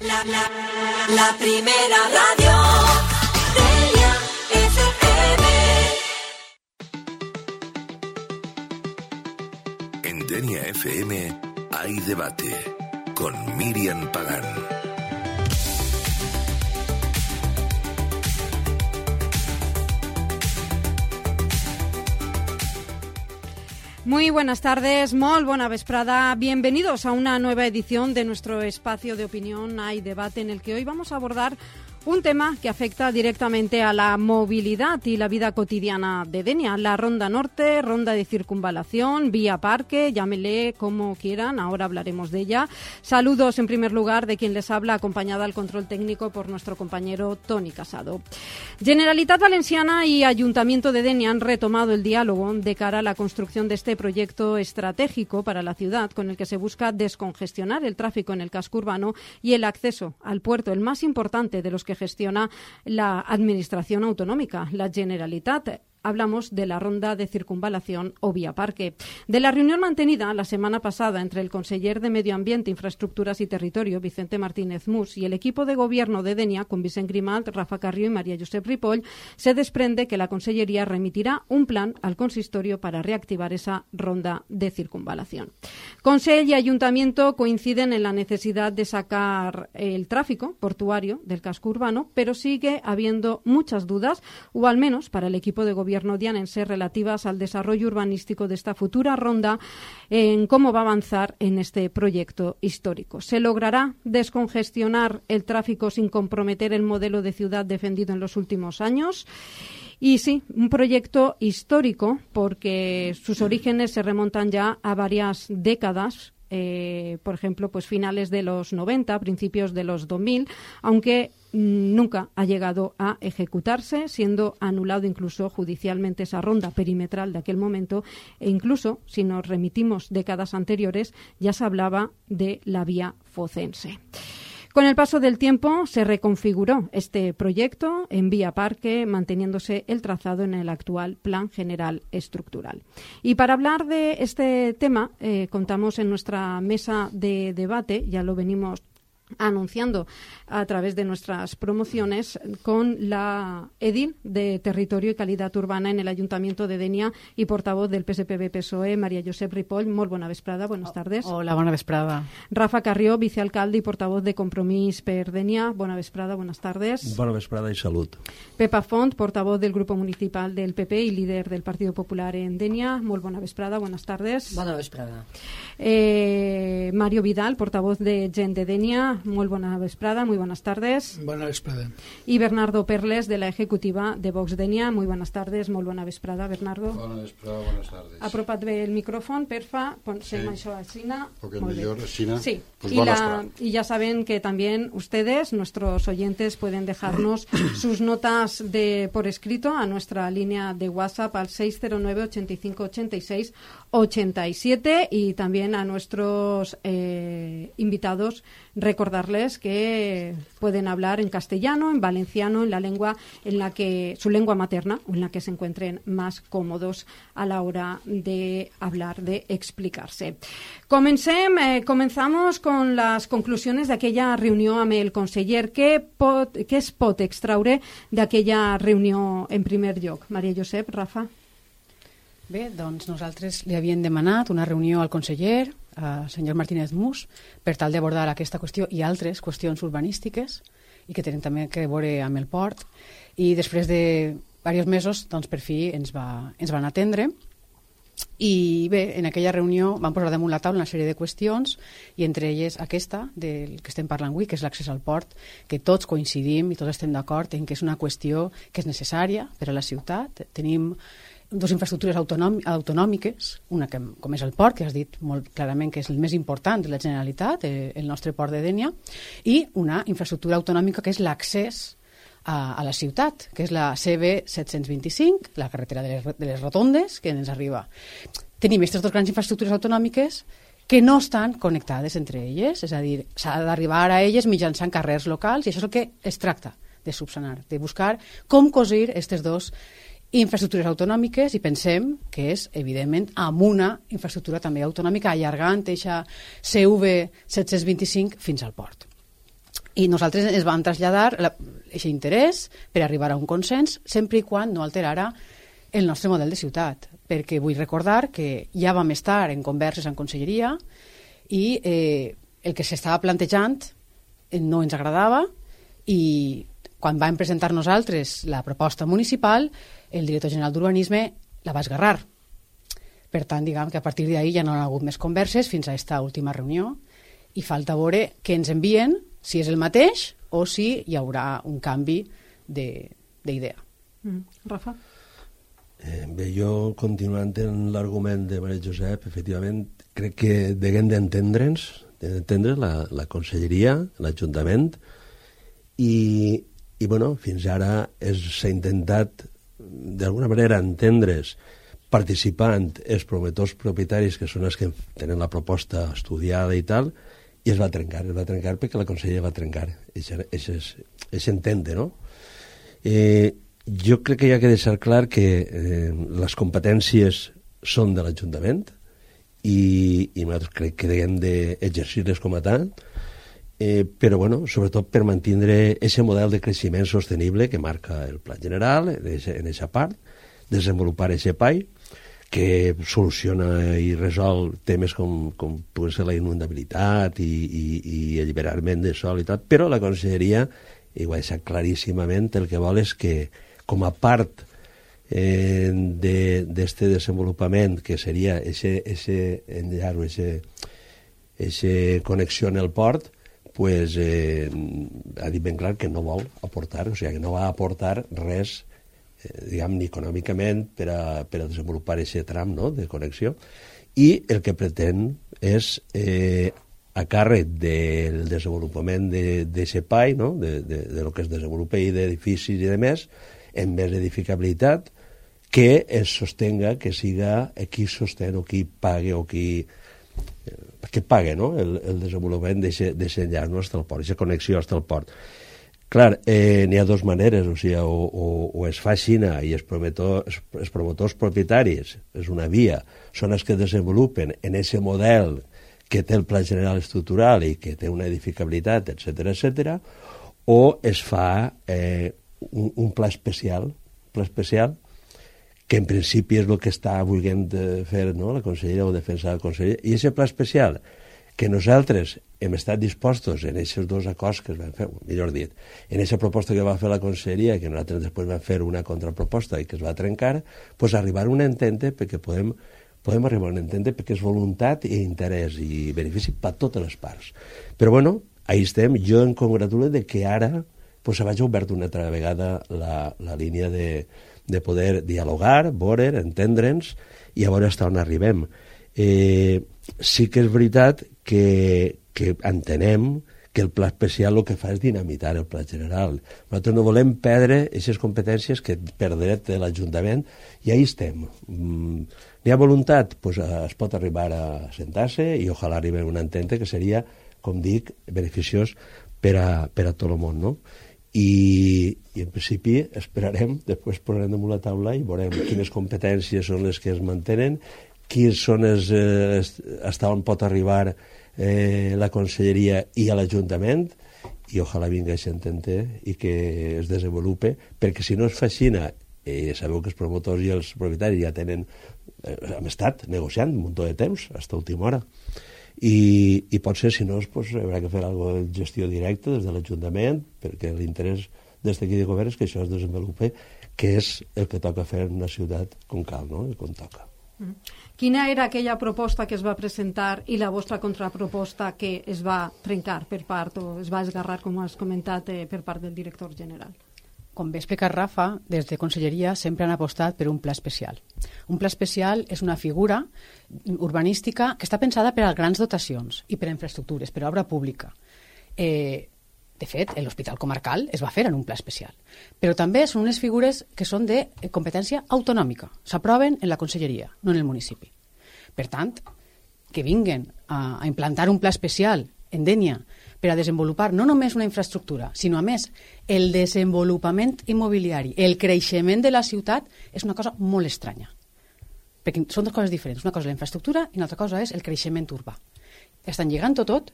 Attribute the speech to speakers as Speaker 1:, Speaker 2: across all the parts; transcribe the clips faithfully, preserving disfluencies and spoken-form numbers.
Speaker 1: La, la, la primera radio Denia F M.
Speaker 2: En Denia F M hay debate con Miriam Pagán.
Speaker 3: Muy buenas tardes, molt bona vesprada. Bienvenidos a una nueva edición de nuestro espacio de opinión Hay Debate, en el que hoy vamos a abordar un tema que afecta directamente a la movilidad y la vida cotidiana de Denia. La Ronda Norte, Ronda de Circunvalación, Vía Parque, llámele como quieran, ahora hablaremos de ella. Saludos en primer lugar de quien les habla, acompañada al control técnico por nuestro compañero Toni Casado. Generalitat Valenciana y Ayuntamiento de Denia han retomado el diálogo de cara a la construcción de este proyecto estratégico para la ciudad, con el que se busca descongestionar el tráfico en el casco urbano y el acceso al puerto, el más importante de los que gestiona la Administración Autonómica, la Generalitat. Hablamos de la Ronda de Circunvalación o Vía Parque. De la reunión mantenida la semana pasada entre el conseller de Medio Ambiente, Infraestructuras y Territorio, Vicente Martínez Mus, y el equipo de gobierno de Denia, con Vicent Grimalt, Rafa Carrió y María Josep Ripoll, se desprende que la Consellería remitirá un plan al consistorio para reactivar esa Ronda de Circunvalación. Consell y Ayuntamiento coinciden en la necesidad de sacar el tráfico portuario del casco urbano, pero sigue habiendo muchas dudas, o al menos para el equipo de gobierno dianense, relativas al desarrollo urbanístico de esta futura ronda, en cómo va a avanzar en este proyecto histórico. ¿Se logrará descongestionar el tráfico sin comprometer el modelo de ciudad defendido en los últimos años? Y sí, un proyecto histórico porque sus orígenes se remontan ya a varias décadas. Eh, por ejemplo, pues finales de los noventa, principios de los dos mil, aunque mmm, nunca ha llegado a ejecutarse, siendo anulado incluso judicialmente esa ronda perimetral de aquel momento, e incluso, si nos remitimos décadas anteriores, ya se hablaba de la vía focense. Con el paso del tiempo se reconfiguró este proyecto en Vía Parque, manteniéndose el trazado en el actual Plan General Estructural. Y para hablar de este tema, eh, contamos en nuestra mesa de debate, ya lo venimos anunciando a través de nuestras promociones, con la edil de Territorio y Calidad Urbana en el Ayuntamiento de Denia y portavoz del P S P B P S O E, María Josep Ripoll. Molt bona vesprada, buenas tardes.
Speaker 4: Hola, bona vesprada.
Speaker 3: Rafa Carrió, vicealcalde y portavoz de Compromís per Denia. Bona vesprada, buenas tardes.
Speaker 5: Bona vesprada y salud.
Speaker 3: Pepa Font, portavoz del Grupo Municipal del P P y líder del Partido Popular en Denia. Molt bona vesprada, buenas tardes.
Speaker 6: Bona vesprada.
Speaker 3: Eh, Mario Vidal, portavoz de Gent de Denia. Muy buena vesprada, muy buenas tardes.
Speaker 7: Buena vesprada.
Speaker 3: Y Bernardo Perles, de la Ejecutiva de Vox Denia. Muy buenas tardes, muy buena vesprada, Bernardo.
Speaker 8: Bona vesprada, buenas tardes.
Speaker 3: Apropa't bé el micrófono, perfa, ponsem
Speaker 8: Sí.
Speaker 3: això a Xina.
Speaker 8: Porque mejor China.
Speaker 3: Sí,
Speaker 8: Pues
Speaker 3: y,
Speaker 8: buena
Speaker 3: la-
Speaker 8: vesprada.
Speaker 3: y ya saben que también ustedes, nuestros oyentes, pueden dejarnos sus notas de por escrito a nuestra línea de WhatsApp al seis cero nueve, ochenta y cinco, ochenta y seis, ochenta y siete, y también a nuestros eh, invitados recordarles que pueden hablar en castellano, en valenciano, en la lengua en la que su lengua materna, o en la que se encuentren más cómodos a la hora de hablar, de explicarse. Comencem, eh, comenzamos con las conclusiones de aquella reunió amb el conseller. Què, pot, què es pot extraure d'aquella reunió en primer lloc? Maria Josep, Rafa?
Speaker 4: Bé, doncs nosaltres li havíem demanat una reunió al conseller, al senyor Martínez Mus, per tal d'abordar aquesta qüestió i altres qüestions urbanístiques i que tenen també que veure amb el port. I després de diversos mesos, doncs per fi ens, va, ens van atendre. I bé, en aquella reunió van posar damunt la taula una sèrie de qüestions, i entre elles aquesta del que estem parlant avui, que és l'accés al port, que tots coincidim i tots estem d'acord en que és una qüestió que és necessària per a la ciutat. Tenim dues infraestructures autonòmiques, una que, com és el port, que has dit molt clarament que és el més important de la Generalitat, el nostre port de Denia, i una infraestructura autonòmica que és l'accés a, a la ciutat, que és la C B set cents vint-i-cinc, la carretera de les, de les rotondes, que ens arriba. Tenim aquestes dues grans infraestructures autonòmiques que no estan connectades entre elles, és a dir, s'ha d'arribar a elles mitjançant carrers locals, i això és el que es tracta de subsanar, de buscar com cosir aquestes dues infraestructures autonòmiques, i pensem que és, evidentment, amb una infraestructura també autonòmica, allargant eixa C V set cents vint-i-cinc fins al port. I nosaltres ens vam traslladar aquest interès per arribar a un consens, sempre i quan no alterara el nostre model de ciutat, perquè vull recordar que ja vam estar en converses en conselleria i eh, el que s'estava plantejant no ens agradava i quan vam presentar nosaltres la proposta municipal, el director general d'Urbanisme la va esgarrar. Per tant, diguem que a partir d'ahir ja no hi ha hagut més converses fins a aquesta última reunió i falta veure què ens envien, si és el mateix o si hi haurà un canvi d'idea.
Speaker 3: Mm. Rafa?
Speaker 5: Eh, bé, jo, continuant en l'argument de Maria Josep, efectivament, crec que deguem d'entendre'ns, d'entendre la, la conselleria, l'Ajuntament, i, i bueno, fins ara s'ha intentat, d'alguna manera, entendre's, participant els promotors propietaris, que són els que tenen la proposta estudiada i tal, i es va trencar, es va trencar perquè la conselleria va trencar. És entendre, no? Eh, jo crec que hi ha que deixar clar que eh, les competències són de l'Ajuntament i, i nosaltres crec que hem d'exercir-les com a tal, eh, però bueno, sobretot per mantenir aquest model de creixement sostenible que marca el Pla General en aquesta part, desenvolupar aquest E P A I que soluciona i resol temes com, com pugui ser la inundabilitat i, i, i alliberament de sol i tot, però la conselleria, i ho ha deixat claríssimament, el que vol és que com a part eh, d'aquest de, desenvolupament que seria aquest enllar o aquesta connexió en el port, pues, eh, ha dit ben clar que no vol aportar, o sigui, que no va aportar res diguem, ni econòmicament per a, per a desenvolupar aquest tram, no?, de connexió, i el que pretén és eh, a càrrec del desenvolupament d'aquest P A I, no?, de, de, de lo que es desenvolupa i d'edificis i de més, en més edificabilitat, que es sostenga, que siga qui sostén o qui pague o qui eh, que pague, no?, el, el desenvolupament d'aquest enllaç, no?, fins al port, aquesta connexió fins al port. Clar, eh, n'hi ha dues maneres, o sigui, o, o, o es fa Xina i els promotors, els promotors propietaris, és una via, són els que desenvolupen en aquest model que té el Pla General Estructural i que té una edificabilitat, etcètera, etcètera, o es fa eh, un, un pla especial, pla especial, que en principi és el que està volent fer, no?, la conselleria o defensar la conselleria, i aquest pla especial que nosaltres hem estat dispostos en aquests dos acords que es van fer, millor dit, en aquesta proposta que va fer la conselleria, que nosaltres després vam fer una contraproposta i que es va trencar, doncs arribar a un entente perquè podem, podem arribar a un entente perquè és voluntat i interès i benefici per totes les parts. Però bueno, ahí estem, jo em congratulo de que ara pues, se vagi obert una altra vegada la, la línia de, de poder dialogar, veure, entendre'ns i a veure fins on arribem. Eh, sí que és veritat que, que entenem que el pla especial el que fa és dinamitar el pla general. Nosaltres no volem perdre aquestes competències que per dret de l'Ajuntament i ahí estem. Mm, n'hi ha voluntat? Pues, es pot arribar a sentar-se i ojalà arribi a un entente que seria, com dic, beneficiós per a, per a tot el món, no? I, i en principi esperarem, després posarem damunt la taula i veurem quines competències són les que es mantenen, quins són els, eh, hasta on pot arribar eh, la conselleria i a l'Ajuntament, i ojalà vingui a s'entente i que es desenvolupe, perquè si no es fa així, eh, sabeu que els promotors i els propietaris ja tenen, eh, hem estat negociant un munt de temps, fins a última hora, i, i potser si no pues, haurà que fer alguna de gestió directa des de l'Ajuntament, perquè l'interès des d'aquí de govern és que això es desenvolupe, que és el que toca fer en una ciutat com cal, no?, com toca.
Speaker 3: Quina era aquella proposta que es va presentar i la vostra contraproposta que es va trencar per part o es va esgarrar, com has comentat, eh, per part del director general?
Speaker 4: Com bé explicat Rafa, des de Conselleria sempre han apostat per un pla especial. Un pla especial és una figura urbanística que està pensada per a grans dotacions i per a infraestructures, per a obra pública. Eh, de fet, l'Hospital Comarcal es va fer en un pla especial. Però també són unes figures que són de competència autonòmica. S'aproven en la Conselleria, no en el municipi. Per tant, que vinguen a, a implantar un pla especial en Dénia per a desenvolupar no només una infraestructura, sinó a més el desenvolupament immobiliari, el creixement de la ciutat, és una cosa molt estranya. Perquè són dues coses diferents. Una cosa és la infraestructura i una altra cosa és el creixement urbà. Estan lligant-ho tot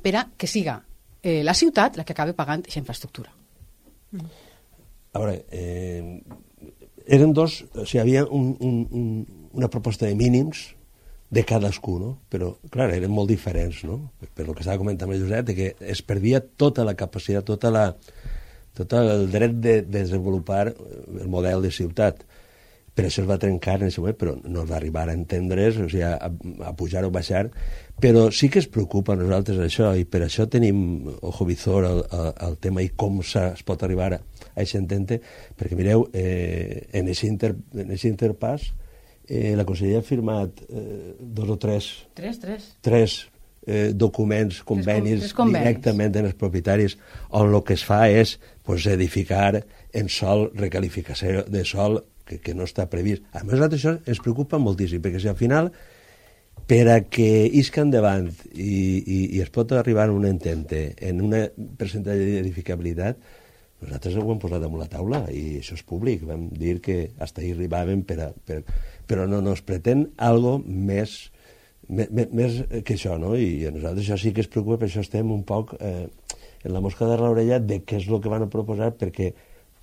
Speaker 4: per a que siga eh, la ciutat la que acaba pagant aquesta infraestructura.
Speaker 3: Mm.
Speaker 5: A veure, eh, eren dos, o sigui, hi havia un, un, un, una proposta de mínims de cadascú, no? Però, clar, eren molt diferents, no? Per el que estava comentant el Josep, que es perdia tota la capacitat, tota la, tot el dret de, de desenvolupar el model de ciutat. Per això es va trencar en aquest moment, però no es va arribar a entendre's, o sigui, a, a pujar o baixar, però sí que es preocupa a nosaltres això, i per això tenim ojo visor al, al, al tema i com es pot arribar a aquest entente, perquè mireu, eh, en aquest inter, interpàs, Eh, la Conselleria ha firmat eh, dos o tres,
Speaker 4: tres, tres.
Speaker 5: tres eh, documents, convenis,
Speaker 4: tres convenis
Speaker 5: directament en els propietaris, on el que es fa és pues, edificar en sol, recalificació de sol, que, que no està previst. A més, això ens preocupa moltíssim, perquè si al final, per a que isca endavant i, i, i es pot arribar a un entente en un percentatge d'edificabilitat, nosaltres ho hem posat damunt la taula i això és públic. Vam dir que hasta ahí arribàvem, per a, per, però no, no es pretén algo més, més, més que això, no? I a nosaltres això sí que es preocupa, per això estem un poc eh, en la mosca de l'orella de què és el que van a proposar, perquè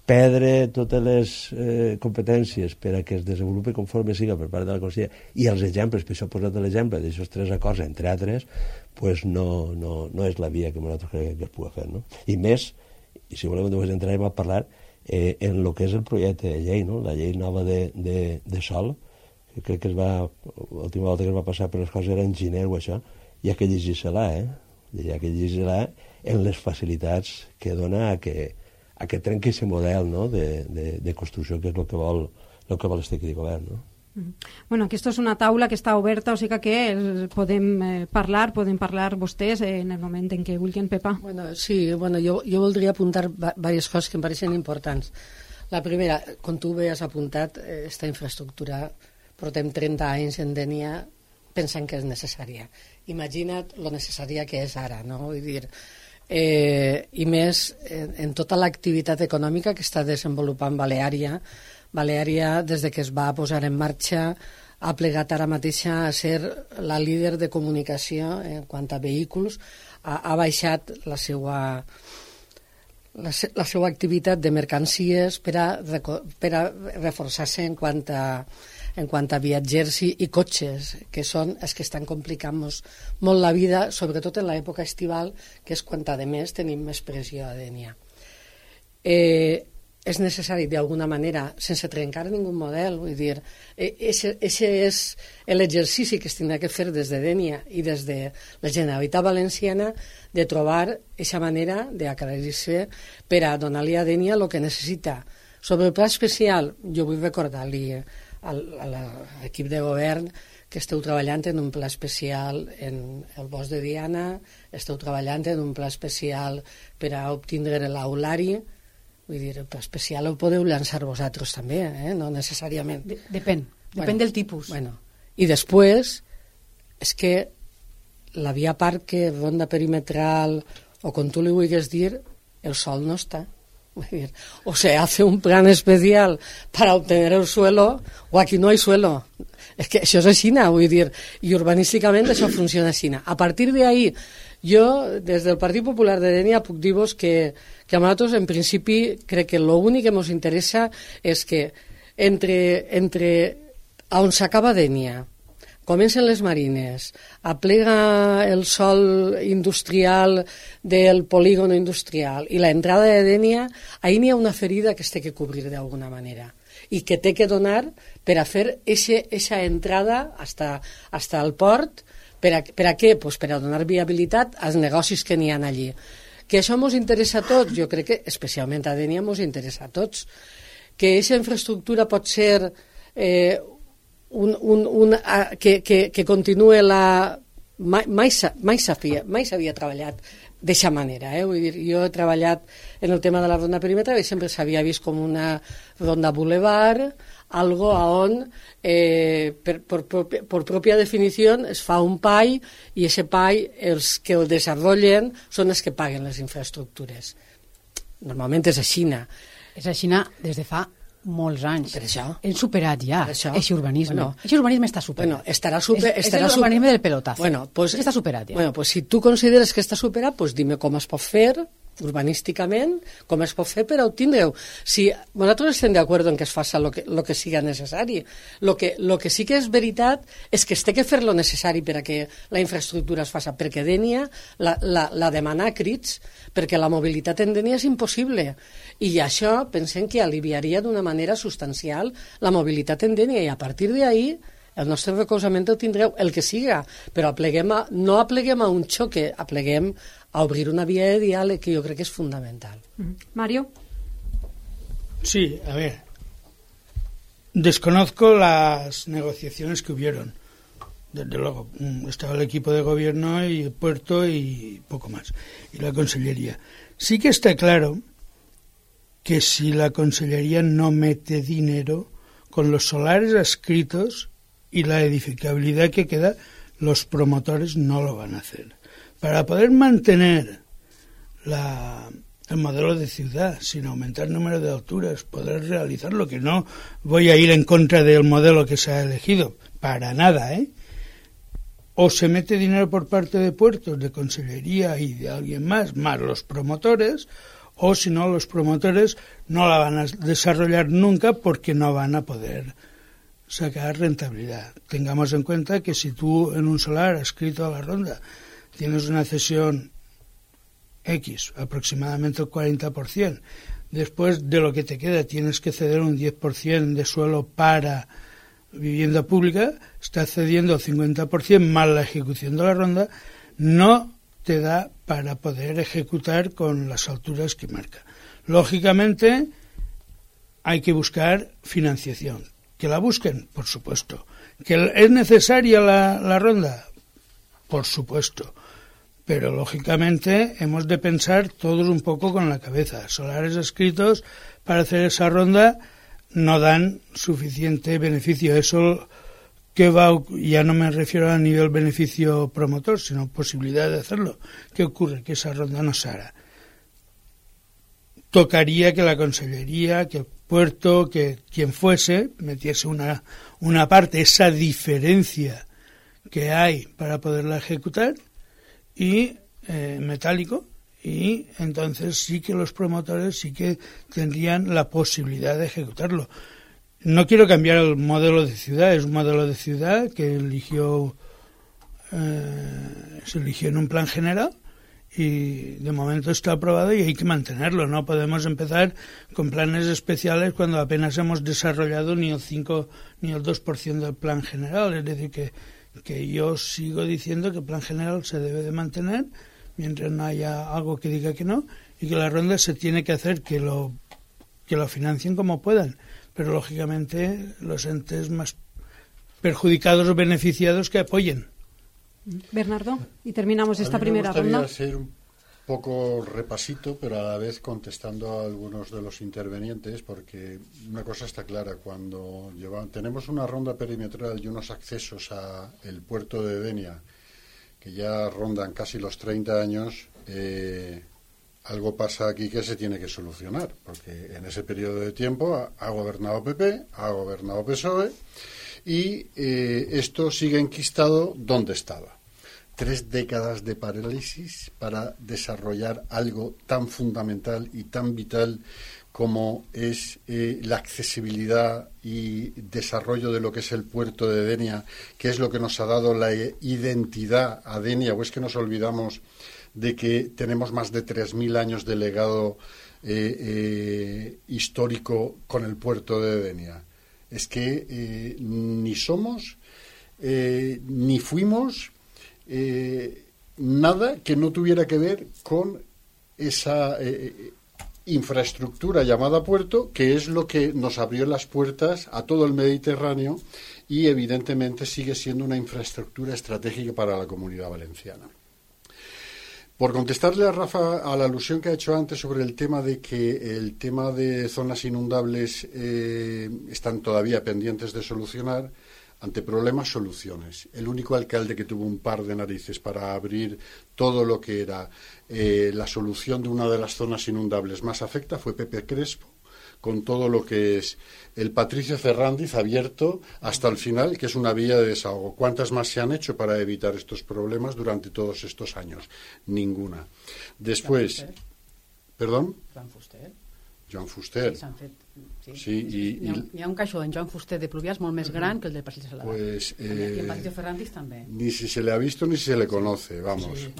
Speaker 5: perdre totes les eh, competències per a que es desenvolupi conforme siga per part de la Conselleria i els exemples, per això he posat l'exemple d'aixòs tres acords, entre altres, pues no, no, no és la via que nosaltres creiem que es pugui fer, no? I més, i si volem després entrarem a parlar eh, en el que és el projecte de llei, no? La llei nova de, de, de sol, que crec que es va, l'última volta que es va passar per les coses era en gener o això, hi ha que llegir-se-la, eh? Hi ha que llegir-se-la en les facilitats que dona a que, a que trenqui aquest model, no? de, de, de construcció, que és el que vol, el que vol este aquí de govern, no?
Speaker 3: Bueno, aquesta és una taula que està oberta, o sigui que el, podem eh, parlar, podem parlar vostès eh, en el moment en què vulguin, Pepa.
Speaker 6: Bueno, sí, bueno, jo, jo voldria apuntar diverses coses que em pareixen importants. La primera, com tu bé has apuntat, aquesta infraestructura, portem trenta anys en Dénia pensant que és necessària. Imagina't lo necessària que és ara, no? Vull dir, eh, i més en, en tota l'activitat econòmica que està desenvolupant Baleària. Baleària, des de que es va posar en marxa, ha plegat ara mateixa a ser la líder de comunicació en quant a vehicles, ha, ha baixat la seva, la, la seva activitat de mercancies per a, per a reforçar-se en quant a, en quant a viatgers i, i cotxes, que són els que estan complicant-nos molt la vida, sobretot en l'època estival, que és quan a més tenim més pressió a Dénia. Eh, és necessari d'alguna manera, sense trencar ningú model, vull dir, ese, ese és l'exercici que es tindrà que fer des de Dénia i des de la Generalitat Valenciana de trobar aquesta manera d'aclarir-se per a donar-li a Dénia el que necessita. Sobre el pla especial, jo vull recordar-li a l'equip de govern que esteu treballant en un pla especial en el bosc de Diana, esteu treballant en un pla especial per a obtindre l'aulari. Vull dir, el pla especial el podeu llançar vosaltres també, eh? No necessàriament.
Speaker 4: De, depèn, depèn bueno, del tipus.
Speaker 6: Bueno. I després, és que la via parque, ronda perimetral, o com tu li vulguis dir, el sol no està. Vull dir, o se hace un plan especial para obtener el suelo, o aquí no hay suelo. És que això és així, vull dir, i urbanísticament això funciona així. A partir d'ahí, jo, des del Partit Popular de Dénia, puc dir-vos que, que a nosaltres, en principi, crec que l'únic que ens interessa és que entre, entre on s'acaba Dénia, comencen les marines, aplega el sòl industrial del polígono industrial i l'entrada de Dénia, ahí n'hi ha una ferida que es té que cobrir d'alguna manera i que té que donar per a fer aquesta entrada hasta, hasta el port. Per a, per a què? Pues per a donar viabilitat als negocis que n'hi ha allí. Que això ens interessa a tots, jo crec que especialment a Dénia ens interessa a tots. Que aquesta infraestructura pot ser eh, un, un, un, a, que, que, que continue la... Mai, mai s'havia mai s'havia treballat d'aquesta manera, eh? Vull dir, jo he treballat en el tema de la ronda perimetral i sempre s'havia vist com una ronda boulevard, algo a on eh, per, por, por, por propia definició es fa un pay i ese pay els que el desenvolupen són els que paguen les infraestructures. Normalment és així.
Speaker 4: És així des de fa molts anys.
Speaker 6: Per això.
Speaker 4: Hem superat ja aquest urbanisme. Bueno, aquest urbanisme està superat.
Speaker 6: Bueno, estarà super,
Speaker 4: és,
Speaker 6: estarà
Speaker 4: és l'urbanisme del pelotazo.
Speaker 6: Bueno, pues,
Speaker 4: està superat ja.
Speaker 6: Bueno, pues si tu consideres que està superat, pues dime com es pot fer urbanísticament, com es pot fer per obtindre-ho. Si nosaltres estem d'acord en que es faci el que, lo que siga necessari. Lo que, lo que sí que és veritat és que es té que fer lo necessari per a que la infraestructura es faci, perquè Dénia la, la, la demana a crits, perquè la mobilitat en Dénia és impossible. I això pensem que aliviaria d'una manera substancial la mobilitat en Dénia, i a partir d'ahí el nostre recolzament el tindreu, el que siga, però apleguem a, no apleguem a un xoque, apleguem a obrir una vía de diálogo que yo creo que es fundamental.
Speaker 3: Mario.
Speaker 7: Sí, a ver. Desconozco las negociaciones que hubieron. Desde luego, estaba el equipo de gobierno y el puerto y poco más. Y la consellería. Sí que está claro que si la consellería no mete dinero con los solares adscritos y la edificabilidad que queda, los promotores no lo van a hacer. Para poder mantener la, el modelo de ciudad sin aumentar el número de alturas, poder realizarlo, que no voy a ir en contra del modelo que se ha elegido, para nada, ¿eh? O se mete dinero por parte de puertos, de consellería y de alguien más, más los promotores, o si no, los promotores no la van a desarrollar nunca porque no van a poder sacar rentabilidad. Tengamos en cuenta que si tú en un solar adscrito a la ronda tienes una cesión X, aproximadamente el cuarenta por ciento, después de lo que te queda tienes que ceder un diez por ciento de suelo para vivienda pública, estás cediendo el cincuenta por ciento más la ejecución de la ronda, no te da para poder ejecutar con las alturas que marca. Lógicamente hay que buscar financiación. ¿Que la busquen? Por supuesto. ¿Que es necesaria la, la ronda? Por supuesto. Pero lógicamente hemos de pensar todos un poco con la cabeza. Solares adscritos para hacer esa ronda no dan suficiente beneficio. Eso que va, ya no me refiero a nivel beneficio promotor, sino posibilidad de hacerlo. ¿Qué ocurre? Que esa ronda no se hará. Tocaría que la consellería, que el puerto, que quien fuese, metiese una, una parte, esa diferencia que hay para poderla ejecutar, y eh, metálico, y entonces sí que los promotores sí que tendrían la posibilidad de ejecutarlo. No quiero cambiar el modelo de ciudad, es un modelo de ciudad que eligió eh, se eligió en un plan general y de momento está aprobado y hay que mantenerlo. No podemos empezar con planes especiales cuando apenas hemos desarrollado ni el cinco ni el dos por ciento del plan general. Es decir, que, que yo sigo diciendo que el plan general se debe de mantener mientras no haya algo que diga que no, y que la ronda se tiene que hacer que lo, que lo financien como puedan. Pero lógicamente los entes más perjudicados o beneficiados que apoyen.
Speaker 3: Bernardo, y terminamos esta
Speaker 8: a mí
Speaker 3: primera
Speaker 8: me gustaría
Speaker 3: ronda.
Speaker 8: Ser un poco repasito, pero a la vez contestando a algunos de los intervenientes, porque una cosa está clara: cuando lleva, tenemos una ronda perimetral y unos accesos a el puerto de Denia que ya rondan casi los treinta años, eh, algo pasa aquí que se tiene que solucionar, porque en ese periodo de tiempo ha, ha gobernado P P, ha gobernado P S O E, y eh, esto sigue enquistado donde estaba. Tres décadas de parálisis para desarrollar algo tan fundamental y tan vital como es eh, la accesibilidad y desarrollo de lo que es el puerto de Denia, que es lo que nos ha dado la identidad a Denia. O es que nos olvidamos de que tenemos más de tres mil años de legado eh, eh, histórico con el puerto de Denia. Es que eh, ni somos, eh, ni fuimos eh, nada que no tuviera que ver con esa eh, infraestructura llamada puerto, que es lo que nos abrió las puertas a todo el Mediterráneo y evidentemente sigue siendo una infraestructura estratégica para la Comunidad Valenciana. Por contestarle a Rafa a la alusión que ha hecho antes sobre el tema de que el tema de zonas inundables eh, están todavía pendientes de solucionar, ante problemas, soluciones. El único alcalde que tuvo un par de narices para abrir todo lo que era eh, la solución de una de las zonas inundables más afecta fue Pepe Crespo, con todo lo que es el Patricio Ferrandiz abierto hasta el final, que es una vía de desahogo. ¿Cuántas más se han hecho para evitar estos problemas durante todos estos años? Ninguna. Después, ¿perdón?
Speaker 4: Joan Fuster.
Speaker 8: Joan Fuster.
Speaker 4: Sí, s'han fet... Sí.
Speaker 8: Sí, i,
Speaker 4: hi, ha, hi ha un caixó d'en Joan Fuster de Pluviàs molt més gran que el del Passeig de Salada.
Speaker 8: Pues, eh,
Speaker 4: I en Patricio Ferrandiz també.
Speaker 8: Ni si se le ha visto ni si se le conoce, vamos.
Speaker 7: Sí,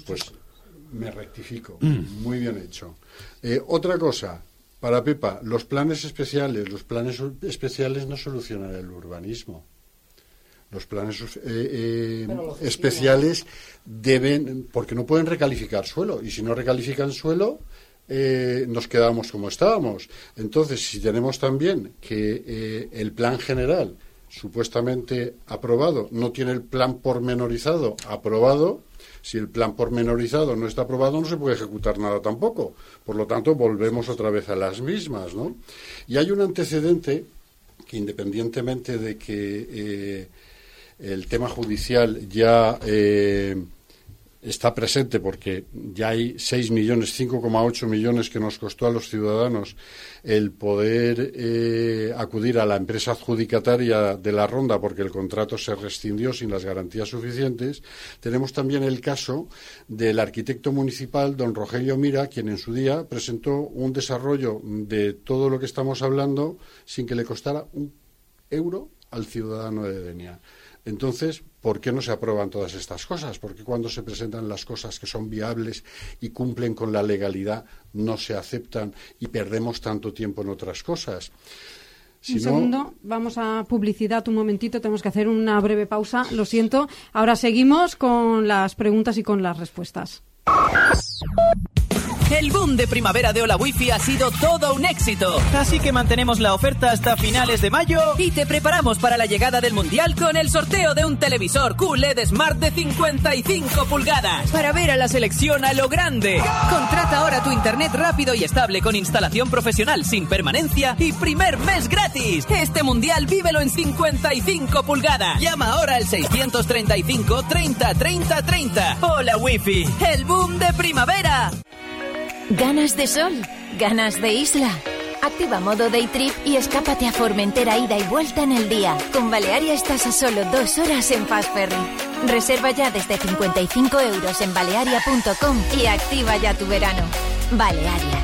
Speaker 8: pues me rectifico. Mm. Muy bien hecho. Eh, otra cosa, para Pepa, los planes especiales. Los planes especiales no solucionan el urbanismo. Los planes eh, eh, especiales deben, porque no pueden recalificar suelo, y si no recalifican suelo, eh, nos quedamos como estábamos. Entonces, si tenemos también que eh, el plan general supuestamente aprobado no tiene el plan pormenorizado aprobado, si el plan pormenorizado no está aprobado, no se puede ejecutar nada tampoco. Por lo tanto, volvemos otra vez a las mismas, ¿no? Y hay un antecedente que, independientemente de que eh, el tema judicial ya eh, está presente, porque ya hay seis millones, cinco coma ocho millones que nos costó a los ciudadanos el poder eh, acudir a la empresa adjudicataria de la ronda porque el contrato se rescindió sin las garantías suficientes. Tenemos también el caso del arquitecto municipal, don Rogelio Mira, quien en su día presentó un desarrollo de todo lo que estamos hablando sin que le costara un euro al ciudadano de Denia. Entonces, ¿por qué no se aprueban todas estas cosas? ¿Por qué cuando se presentan las cosas que son viables y cumplen con la legalidad no se aceptan y perdemos tanto tiempo en otras cosas? Si
Speaker 3: un
Speaker 8: no...
Speaker 3: segundo, vamos a publicidad un momentito, tenemos que hacer una breve pausa, lo siento. Ahora seguimos con las preguntas y con las respuestas.
Speaker 9: El boom de primavera de Hola Wifi ha sido todo un éxito. Así que mantenemos la oferta hasta finales de mayo y te preparamos para la llegada del Mundial con el sorteo de un televisor Q L E D Smart de cincuenta y cinco pulgadas para ver a la selección a lo grande. Contrata ahora tu internet rápido y estable con instalación profesional sin permanencia y primer mes gratis. Este Mundial vívelo en cincuenta y cinco pulgadas. Llama ahora al seiscientos treinta y cinco treinta treinta treinta. Hola Wifi, el boom de primavera.
Speaker 10: ¿Ganas de sol? ¿Ganas de isla? Activa modo Day Trip y escápate a Formentera ida y vuelta en el día. Con Balearia estás a solo dos horas en Fast Ferry. Reserva ya desde cincuenta y cinco euros en balearia punto com y activa ya tu verano. Balearia.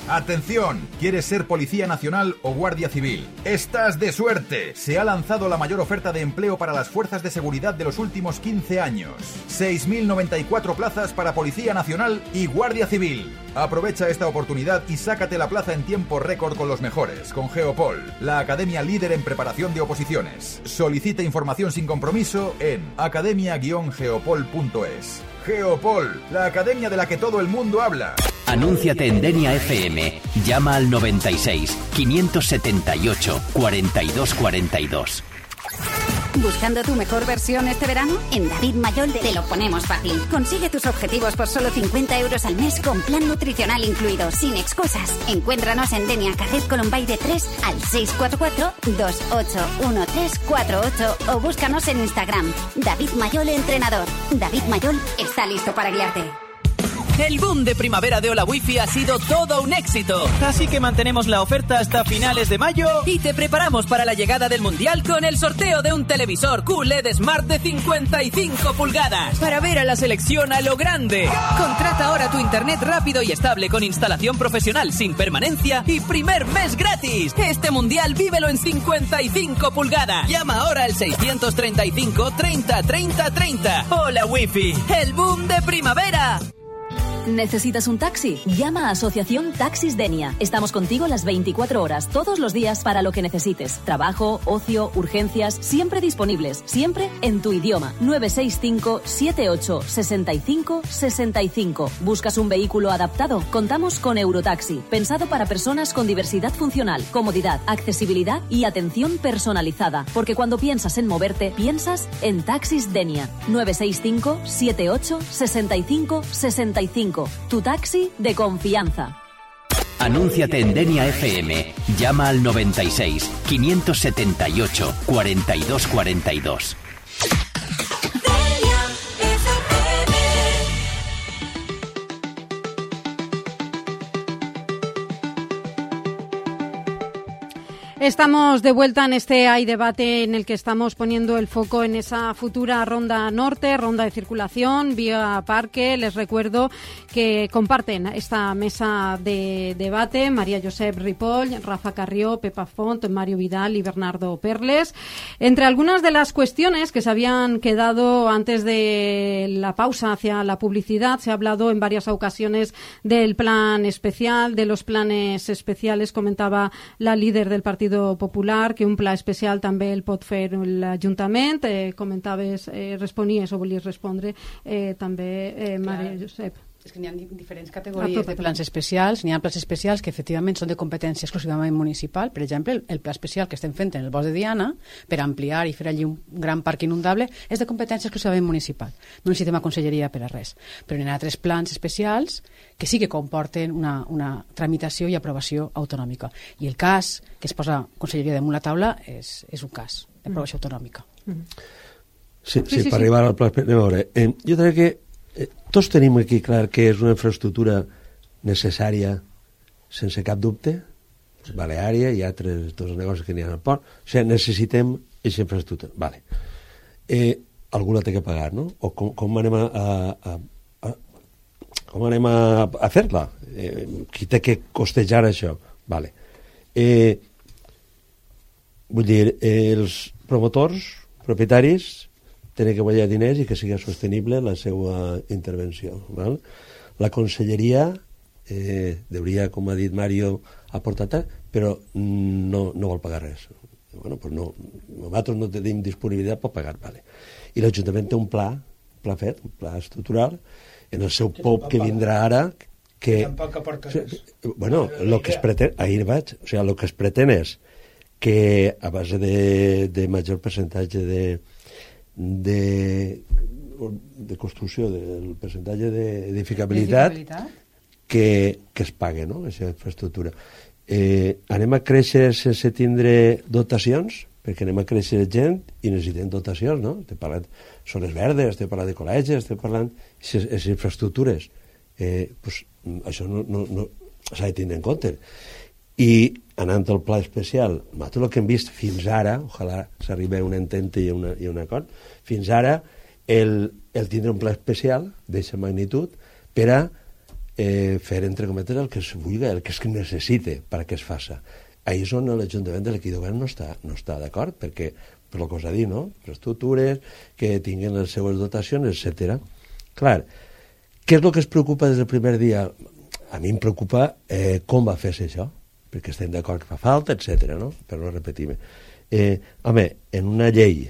Speaker 11: Atención, ¿quieres ser Policía Nacional o Guardia Civil? ¡Estás de suerte! Se ha lanzado la mayor oferta de empleo para las fuerzas de seguridad de los últimos quince años. seis mil noventa y cuatro plazas para Policía Nacional y Guardia Civil. Aprovecha esta oportunidad y sácate la plaza en tiempo récord con los mejores, con Geopol, la academia líder en preparación de oposiciones. Solicita información sin compromiso en academia guion geopol punto es. Geopol, la academia de la que todo el mundo habla.
Speaker 12: Anúnciate en Denia F M. Llama al noventa y seis, quinientos setenta y ocho, cuarenta y dos cuarenta y dos.
Speaker 13: ¿Buscando tu mejor versión este verano? En David Mayol te lo ponemos fácil. Consigue tus objetivos por solo cincuenta euros al mes con plan nutricional incluido, sin excusas. Encuéntranos en Denia, Carrer Colombaide tres al seis cuatro cuatro, dos ocho uno tres cuatro ocho o búscanos en Instagram. David Mayol Entrenador. David Mayol está listo para guiarte.
Speaker 9: El boom de primavera de Hola Wifi ha sido todo un éxito. Así que mantenemos la oferta hasta finales de mayo y te preparamos para la llegada del Mundial con el sorteo de un televisor Q L E D Smart de cincuenta y cinco pulgadas para ver a la selección a lo grande. Contrata ahora tu internet rápido y estable con instalación profesional sin permanencia y primer mes gratis. Este Mundial vívelo en cincuenta y cinco pulgadas. Llama ahora al seiscientos treinta y cinco treinta treinta treinta. Hola Wifi, el boom de primavera.
Speaker 14: ¿Necesitas un taxi? Llama a Asociación Taxis Denia. Estamos contigo las veinticuatro horas, todos los días, para lo que necesites. Trabajo, ocio, urgencias, siempre disponibles, siempre en tu idioma. nueve seis cinco, siete ocho, seis cinco, seis cinco. ¿Buscas un vehículo adaptado? Contamos con Eurotaxi, pensado para personas con diversidad funcional, comodidad, accesibilidad y atención personalizada. Porque cuando piensas en moverte, piensas en Taxis Denia. nueve seis cinco, siete ocho, seis cinco, seis cinco. Tu taxi de confianza.
Speaker 12: Anúnciate en Denia F M. Llama al noventa y seis, quinientos setenta y ocho, cuarenta y dos cuarenta y dos.
Speaker 3: Estamos de vuelta en este Hay Debate en el que estamos poniendo el foco en esa futura ronda norte, ronda de circulación, vía parque. Les recuerdo que comparten esta mesa de debate María Josep Ripoll, Rafa Carrió, Pepa Font, Mario Vidal y Bernardo Perles. Entre algunas de las cuestiones que se habían quedado antes de la pausa hacia la publicidad, se ha hablado en varias ocasiones del plan especial, de los planes especiales. Comentaba la líder del Partido Popular que un pla especial també el pot fer l'Ajuntament. Eh, comentaves, eh, responies o volies respondre eh, també, eh, Maria Josep.
Speaker 4: És que n'hi ha diferents categories de plans especials. N'hi ha plans especials que efectivament són de competència exclusivament municipal. Per exemple, el pla especial que estem fent en el Bosc de Diana per ampliar i fer allí un gran parc inundable és de competència exclusivament municipal. No necessitem a conselleria per a res. Però n'hi ha altres plans especials que sí que comporten una, una tramitació i aprovació autonòmica. I el cas que es posa conselleria damunt la taula és, és un cas d'aprovació autonòmica.
Speaker 5: Sí, sí, sí, sí, per arribar al pla especial. Eh, jo crec que Eh, tots tenim aquí clar que és una infraestructura necessària sense cap dubte, Baleària i altres dos negocis que n'hi ha al port. O sigui, necessitem aquesta infraestructura. Vale. Eh, algú la té que pagar, no? O com, com anem a, a, a, com anem a, a fer-la? Eh, qui té que costejar això? Vale. Eh, vull dir, eh, els promotors, propietaris, tenen que guanyar diners i que sigui sostenible la seva intervenció. Val? La conselleria eh, hauria, com ha dit Mario, aportar, però no, no vol pagar res. Bueno, pues no, nosaltres no tenim disponibilitat per pagar. Vale. I l'Ajuntament té un pla, un pla fet, un pla estructural, en el seu P O P que vindrà ara, que...
Speaker 7: Tampoc aporta res.
Speaker 5: Bueno, lo que es pretén, ahir vaig, o sigui, el que es pretén és que a base de, de major percentatge de de, de construcció del percentatge d'edificabilitat que, que es pague, no?, aquesta infraestructura. Eh, anem a créixer sense tindre dotacions, perquè anem a créixer gent i necessitem dotacions, no? Estem parlant de zones verdes, estem parlant de col·legis, estem parlant de les infraestructures. Eh, pues, això no, no, no s'ha de tindre en compte. I anant al pla especial, nosaltres el que hem vist fins ara, ojalà s'arribi a un entente i a, una, i a un acord, fins ara el, el tindre un pla especial d'aquesta magnitud per a eh, fer, entre cometes, el que es vulgui, el que es necessite perquè es faça. Ahí és on l'Ajuntament de l'equip de govern no està, no està d'acord, perquè, per el que us ha dit, no?, infraestructures, que tinguin les seues dotacions, etcètera. Clar, què és el que es preocupa des del primer dia? A mi em preocupa eh, com va fer-se això, perquè estem d'acord que fa falta, etcètera, no?, per no repetir-me. Eh, home, en una llei,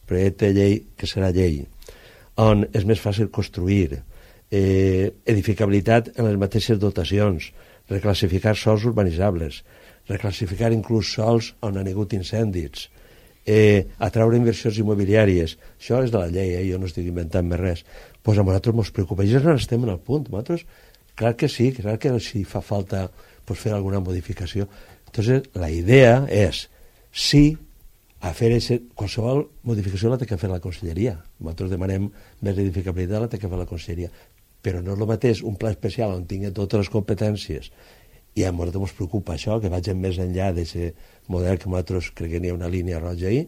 Speaker 5: projecte de llei que serà llei, on és més fàcil construir, eh, edificabilitat en les mateixes dotacions, reclassificar sols urbanitzables, reclassificar inclús sols on han hagut incendis, eh, atraure inversions immobiliàries, això és de la llei, eh? Jo no estic inventant més res. Pues a nosaltres ens preocupa, i ja no estem en el punt, nosaltres, clar que sí, clar que si fa falta pues, fer alguna modificació. Entonces, la idea és, sí, a fer ese, qualsevol modificació la té que fer la conselleria. Nosaltres demanem més edificabilitat, la té que fer la conselleria. Però no és el mateix un pla especial on tingui totes les competències i a nosaltres ens preocupa això, que vagin més enllà d'aquest model que nosaltres crec que n'hi ha una línia roja ahí,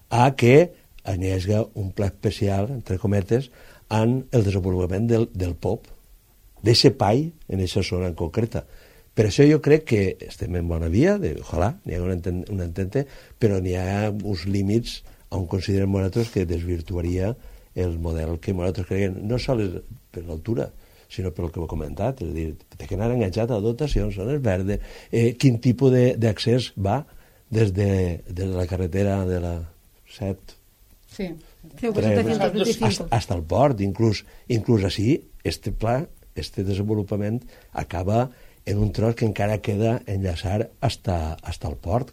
Speaker 5: a que n'hi hagi un pla especial, entre cometes, en el desenvolupament del, del P O P, d'aquest pai en aquesta zona en concreta. Per això jo crec que estem en bona via, de, ojalà, n'hi ha un, enten, un entente, però n'hi ha uns límits on considerem nosaltres que desvirtuaria el model que nosaltres creiem, no sols per l'altura, sinó pel que ho he comentat, és a dir, té que anar enganxat a dotacions, zones verdes, eh, quin tipus d'accés va des de, des de la carretera de la set,
Speaker 4: sí.
Speaker 5: hasta, hasta el port, inclús, inclús així, este pla, este desenvolupament acaba en un tros que encara queda enllaçar hasta, hasta el port,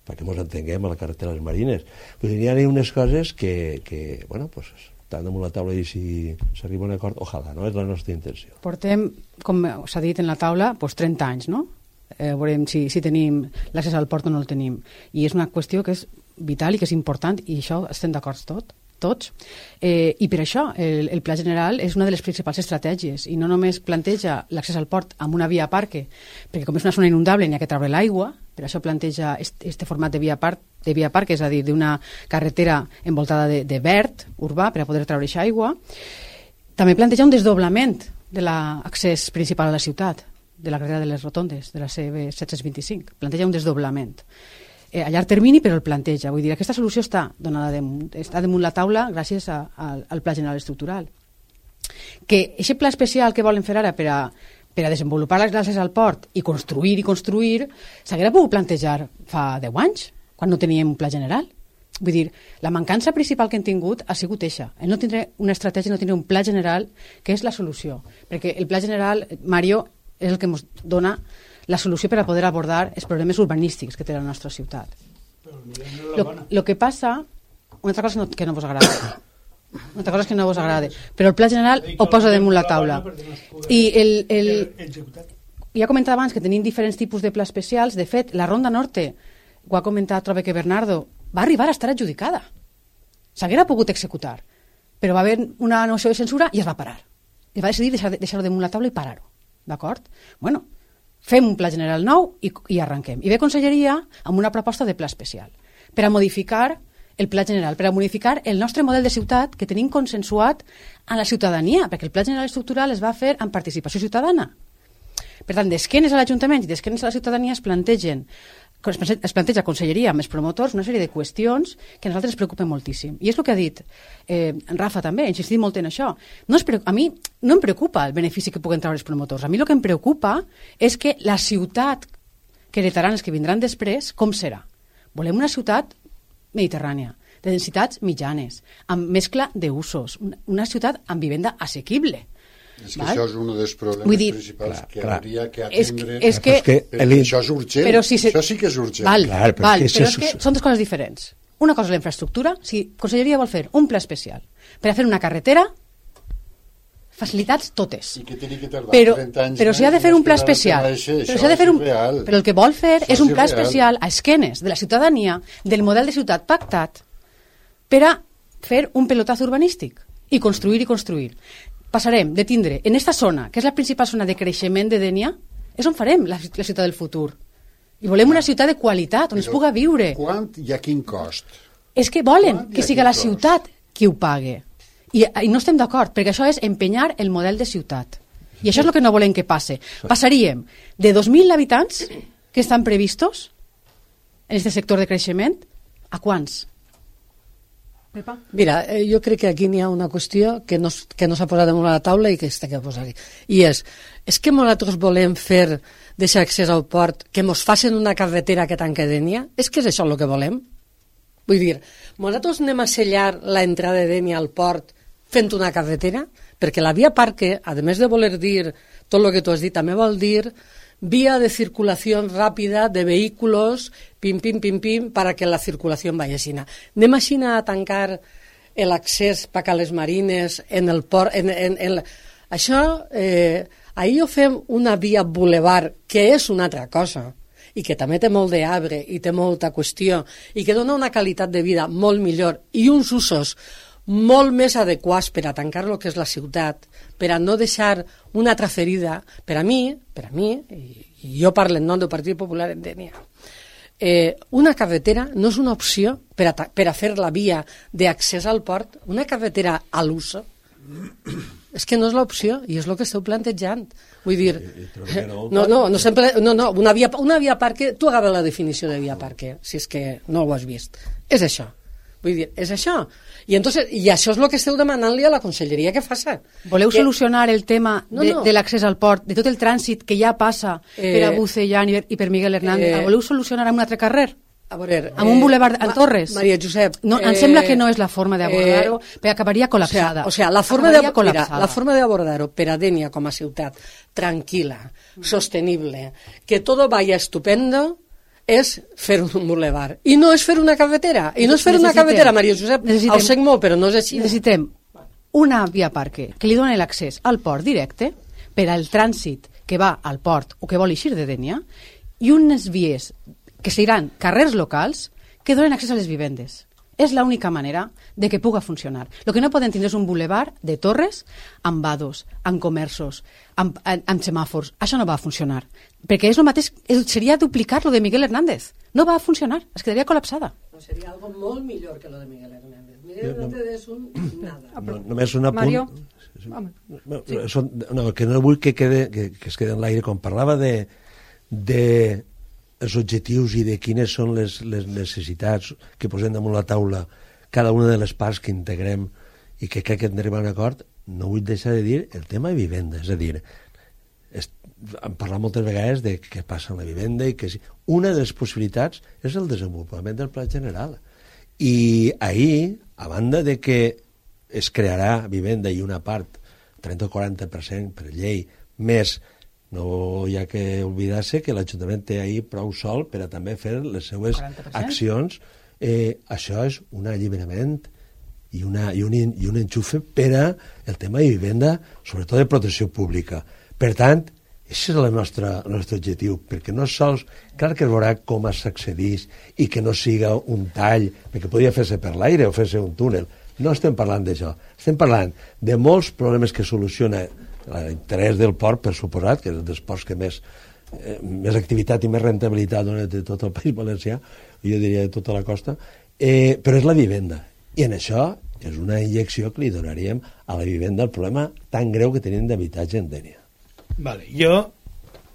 Speaker 5: perquè ens entenguem a la carretera de les Marines. Pues hi ha unes coses que, que bueno, pues, estan damunt la taula i si s'arriba a un acord, ojalà, no? És la nostra intenció.
Speaker 4: Portem, com s'ha dit en la taula, pues, trenta anys, no? Eh, veurem si, si tenim l'accés al port o no el tenim. I és una qüestió que és vital i que és important, i això estem d'acord tot. tots. Eh, I per això el, el Pla General és una de les principals estratègies i no només planteja l'accés al port amb una via parque, perquè com és una zona inundable n'hi ha que treure l'aigua, per això planteja este format de via, par de via parque, és a dir, d'una carretera envoltada de, de verd urbà per a poder treure aquesta aigua. També planteja un desdoblament de l'accés principal a la ciutat, de la carretera de les Rotondes, de la C B set cents vint-i-cinc. Planteja un desdoblament. Eh, a llarg termini, però el planteja. Vull dir, aquesta solució està donada damunt, està damunt la taula gràcies a, a, al Pla General Estructural. Que aquest pla especial que volen fer ara per a per a desenvolupar l'accés al port i construir i construir, s'haguera pogut plantejar fa deu anys, quan no teníem un pla general. Vull dir, la mancança principal que hem tingut ha sigut eixa. El no tindre una estratègia, no tindre un pla general, que és la solució. Perquè el pla general, Mario, és el que ens dona la solució per a poder abordar els problemes urbanístics que té la nostra ciutat. El que passa, una altra cosa no, que no vos agrada, una altra cosa és que no vos agrada, però el pla general ho posa damunt la taula. I el, el, ja comentava abans que tenim diferents tipus de pla especials. De fet, la Ronda Norte, ho ha comentat, trobo que Bernardo, va arribar a estar adjudicada. S'haguera pogut executar, però va haver una noció de censura i es va parar. I va decidir deixar-ho deixar damunt la taula i parar-ho. D'acord? Bueno, fem un pla general nou i, i arrenquem. I ve Conselleria amb una proposta de pla especial per a modificar el pla general, per a modificar el nostre model de ciutat que tenim consensuat amb la ciutadania, perquè el pla general estructural es va fer amb participació ciutadana. Per tant, d'esquenes a l'Ajuntament i d'esquenes a la ciutadania es plantegen es planteja Conselleria amb els promotors una sèrie de qüestions que a nosaltres ens preocupen moltíssim. I és el que ha dit eh, Rafa també, ha insistit molt en això. No es a mi no em preocupa el benefici que puguen treure els promotors. A mi el que em preocupa és que la ciutat que heretaran els que vindran després, com serà? Volem una ciutat mediterrània, de densitats mitjanes, amb mescla d'usos, una, una ciutat amb vivenda assequible.
Speaker 8: És que val? Això és un dels problemes dir, principals clar, que clar. hauria que atendre. És que, és que, el... Això és urgent, però si se... això sí que és urgent.
Speaker 4: Val, clar, però val, és que però és que són dues coses diferents. Una cosa és la infraestructura, si Conselleria vol fer un pla especial per a fer una carretera, facilitats totes.
Speaker 8: I que tingui que tardar
Speaker 4: però,
Speaker 8: trenta anys
Speaker 4: però si ha de fer un pla especial, això però, si ha de fer un, però el que vol fer això és un pla és especial a esquenes de la ciutadania, del model de ciutat pactat, per a fer un pelotaz urbanístic i construir i construir. Passarem de tindre en esta zona, que és la principal zona de creixement de Dénia, és on farem la, la ciutat del futur. I volem una ciutat de qualitat, on però es puga viure.
Speaker 8: Quant i a quin cost?
Speaker 4: És que volen que siga la ciutat qui ho pague. I, i no estem d'acord, perquè això és empenyar el model de ciutat. I això és el que no volem que passe. Passaríem de dos mil habitants que estan previstos en aquest sector de creixement a quants?
Speaker 6: Pepa? Mira, eh, jo crec que aquí n'hi ha una qüestió que no, que no s'ha posat damunt la taula i que està que posar-hi. I és, és que nosaltres volem fer deixar accés al port, que mos facin una carretera que tanque Dénia? És que és això el que volem? Vull dir, nosaltres anem a sellar l'entrada de Dénia al port fent una carretera? Perquè la via parque, a més de voler dir tot el que tu has dit, també vol dir vía de circulación rápida de vehículos, pim, pim, pim, pim, para que la circulación vaya així. Anem així a tancar l'accés per a les marines en el port. En, en, en, això, eh, ahir ho fem una via boulevard, que és una altra cosa, i que també té molt d'arbre i té molta qüestió, i que dona una qualitat de vida molt millor i uns usos molt més adequats per a tancar el que és la ciutat, per a no deixar una altra ferida. Per a mi, per a mi, i, i jo parlo en nom del Partit Popular en Dénia, eh, una carretera no és una opció per a, per a fer la via d'accés al port, una carretera a l'uso. És que no és l'opció, i és el que esteu plantejant. Vull dir, no, no, no, sempre, no, no una, via, una via parque, tu agaves la definició de via parque, si és que no ho has vist. És això. Vull dir, és això. I, entonces, i això és el que esteu demanant-li a la Conselleria que faça.
Speaker 4: Voleu
Speaker 6: que...
Speaker 4: solucionar el tema
Speaker 6: no,
Speaker 4: de,
Speaker 6: no.
Speaker 4: de l'accés al port, de tot el trànsit que ja passa eh, per a Bucellán i, i per Miguel Hernández? Eh, voleu solucionar amb un altre carrer?
Speaker 6: A veure,
Speaker 4: amb un boulevard a Torres?
Speaker 6: Maria Josep...
Speaker 4: No, em eh, sembla que no és la forma d'abordar-ho, eh, perquè acabaria col·lapsada.
Speaker 6: O sea, o sea, la forma de, mira, la forma d'abordar-ho per a Dénia com a ciutat tranquil·la, mm. sostenible, que tot vaya estupendo, és fer un boulevard. I no és fer una carretera. I no és fer una carretera, Maria Josep. Ho sé molt, però no és així.
Speaker 4: Necessitem una via parque que li doni l'accés al port directe per al trànsit que va al port o que vol eixir de Dénia i unes vies que seran carrers locals que donen accés a les vivendes. És l'única manera de que puga funcionar. El que no poden tindre és un boulevard de torres amb vados, amb comerços, amb, amb, amb semàfors. Això no va funcionar. Perquè és el mateix, seria duplicar lo de Miguel Hernández. No va funcionar, es quedaria col·lapsada.
Speaker 6: No, seria algo molt millor que lo de Miguel Hernández. Miguel Hernández és un nada.
Speaker 5: No, només un apunt.
Speaker 3: Mario?
Speaker 5: No, són, no, que no vull que, quede, que, que es quede en l'aire. Quan parlava de, de els objectius i de quines són les, les necessitats que posem damunt la taula cada una de les parts que integrem i que crec que hem d'arribar a un acord, no vull deixar de dir el tema de vivenda. És a dir, és, hem parlat moltes vegades de què passa amb la vivenda i que una de les possibilitats és el desenvolupament del pla general. I ahir, a banda de que es crearà vivenda i una part, trenta o quaranta per cent per llei, més no hi ha que oblidar-se que l'Ajuntament té ahir prou sol per a també fer les seues accions. Eh, això és un alliberament i, una, i, un, i un enxufe per a el tema de vivenda, sobretot de protecció pública. Per tant, aquest és el nostre, el nostre objectiu, perquè no sols, clar que es veurà com s'accedeix i que no siga un tall, perquè podria fer-se per l'aire o fer-se un túnel. No estem parlant d'això, estem parlant de molts problemes que soluciona l'interès del port, per suposat, que és un dels ports que més, eh, més activitat i més rentabilitat dona de tot el País Valencià, jo diria de tota la costa, eh, però és la vivenda. I en això és una injecció que li donaríem a la vivenda el problema tan greu que tenim d'habitatge en Dénia.
Speaker 7: Vale, jo,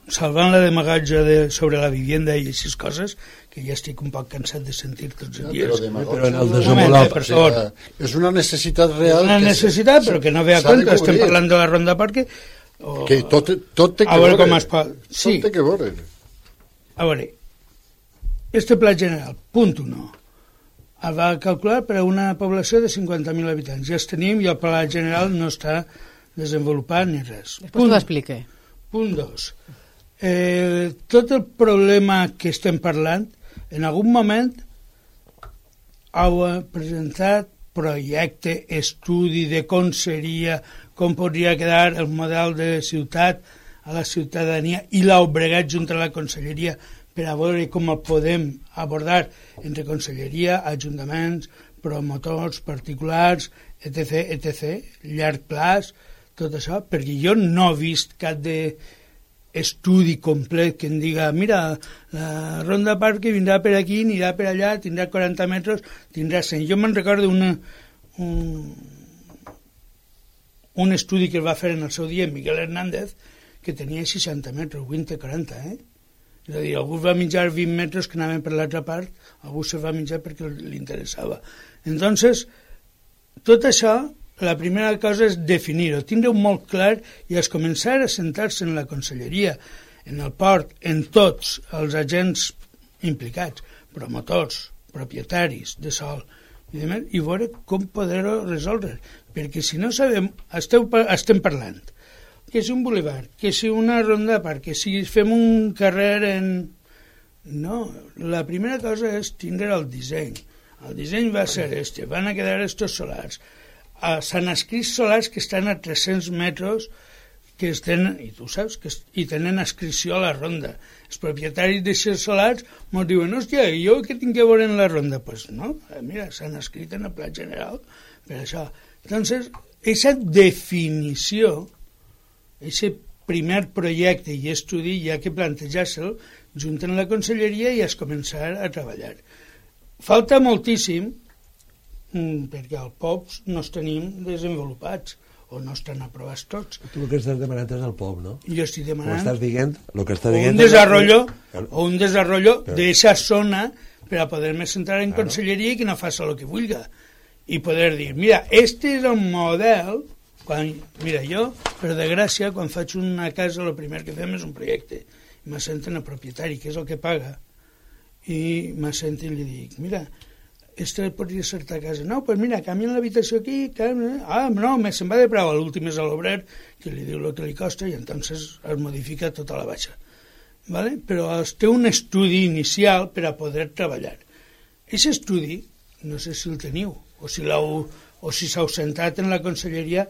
Speaker 7: salvant la demagatge de, sobre la vivenda i aquestes coses, que ja estic un poc cansat de sentir tots els dies.
Speaker 8: No, però,
Speaker 5: però en el desenvolupament...
Speaker 7: Per favor.
Speaker 8: És una necessitat real.
Speaker 7: Una necessitat, però que no ve a compte. Estem parlant de la Ronda Parque.
Speaker 8: O... Que tot, tot té que
Speaker 7: a veure. Com es pot...
Speaker 8: Sí. Tot té que veure.
Speaker 7: A veure, este pla general, punt uno, el va calcular per a una població de cinquanta mil habitants. Ja els tenim i el pla general no està desenvolupat ni res.
Speaker 4: Després t'ho explique.
Speaker 7: Punt dos. Eh, tot el problema que estem parlant, en algun moment heu presentat projecte, estudi de com seria, com podria quedar el model de ciutat a la ciutadania i l'heu bregat junt a la conselleria per a veure com el podem abordar entre conselleria, ajuntaments, promotors, particulars, etc, etc, llarg plaç, tot això, perquè jo no he vist cap de estudi complet que em diga, mira, la Ronda Parque vindrà per aquí, anirà per allà, tindrà quaranta metres, tindrà cent. Jo me'n recordo una, un, un estudi que es va fer en el seu dia Miguel Hernández, que tenia seixanta metres, vint a quaranta, eh? És a dir, algú va menjar vint metres que anaven per l'altra part, algú se va menjar perquè li interessava. Entonces, tot això, la primera cosa és definir-ho, tindre-ho molt clar i es començar a sentar-se en la conselleria, en el port, en tots els agents implicats, promotors, propietaris de sol, i, demés, i veure com poder-ho resoldre. Perquè si no sabem, esteu, estem parlant, que si un boulevard, que si una ronda de parc, que si fem un carrer en... No, la primera cosa és tindre el disseny. El disseny va ser este, van a quedar estos solars. Uh, s'han escrit solars que estan a tres-cents metres que es tenen, i tu saps, que es, i tenen inscripció a la ronda. Els propietaris d'aquests solars ens diuen, hòstia, i jo què tinc que veure en la ronda? Doncs pues no, mira, s'han escrit en el pla general per això. Entonces, aquesta definició, aquest primer projecte i estudi hi ha que plantejar-se'l junt amb la conselleria i es començar a treballar. Falta moltíssim perquè els P O Ps no els tenim desenvolupats o no estan aprovats tots.
Speaker 5: Tu el que estàs demanant és el P O P, no?
Speaker 7: Jo estic demanant
Speaker 5: estàs dient, lo que estàs
Speaker 7: o
Speaker 5: dient
Speaker 7: un desarrollo
Speaker 5: és...
Speaker 7: o un desarrollo d'eixa zona per a poder-me centrar en claro. Conselleria i que no faci el que vulga i poder dir, mira, este és un model quan, mira, jo, per desgràcia, quan faig una casa el primer que fem és un projecte i m'assenten el propietari, que és el que paga, i m'assenten i li dic, mira, esta podria ser ta casa. No, pues mira, canvien l'habitació aquí, canvien... ah, no, se'n va de prou, l'últim és a l'obrer, que li diu el que li costa i entonces es modifica tota la baixa. ¿Vale? Però es té un estudi inicial per a poder treballar. Aquest estudi, no sé si el teniu, o si l'heu, o si s'heu sentat en la conselleria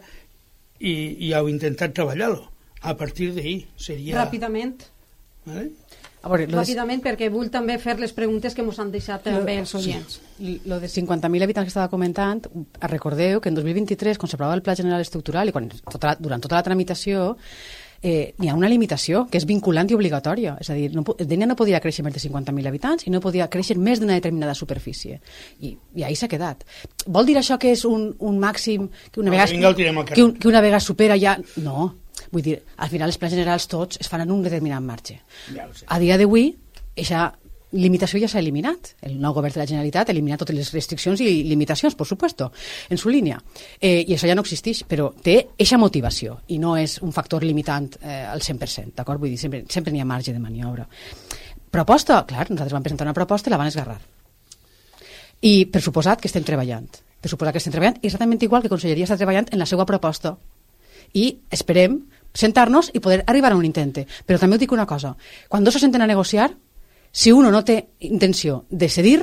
Speaker 7: i, i heu intentat treballar-lo. A partir d'ahir seria...
Speaker 3: Ràpidament.
Speaker 7: ¿Vale?
Speaker 4: A veure, lo
Speaker 3: ràpidament, de... perquè vull també fer les preguntes que ens han deixat també els oients.
Speaker 4: Sí. Lo de cinquanta mil habitants que estava comentant, recordeu que en dos mil vint-i-tres, quan s'aprovava el Pla General Estructural i quan, tota la, durant tota la tramitació, eh, hi ha una limitació que és vinculant i obligatòria. És a dir, no, Dénia no podia créixer més de cinquanta mil habitants i no podia créixer més d'una determinada superfície. I, i ahí s'ha quedat. Vol dir això que és un, un màxim que una, no, vegada, que, un, que una vegada supera ja... No. Vull dir, al final els plans generals tots es fan en un determinat marge. Ja a dia d'avui, aquesta limitació ja s'ha eliminat. El nou govern de la Generalitat ha eliminat totes les restriccions i limitacions, per supuesto, en su línia. Eh, I això ja no existeix, però té aquesta motivació i no és un factor limitant eh, al cent per cent, d'acord? Vull dir, sempre, sempre n'hi ha marge de maniobra. Proposta, clar, nosaltres vam presentar una proposta i la van esgarrar. I per suposat que estem treballant. Per suposat que estem treballant exactament igual que Conselleria està treballant en la seva proposta. I esperem sentar-nos i poder arribar a un intente. Però també us dic una cosa, quan dos se senten a negociar, si uno no té intenció de cedir,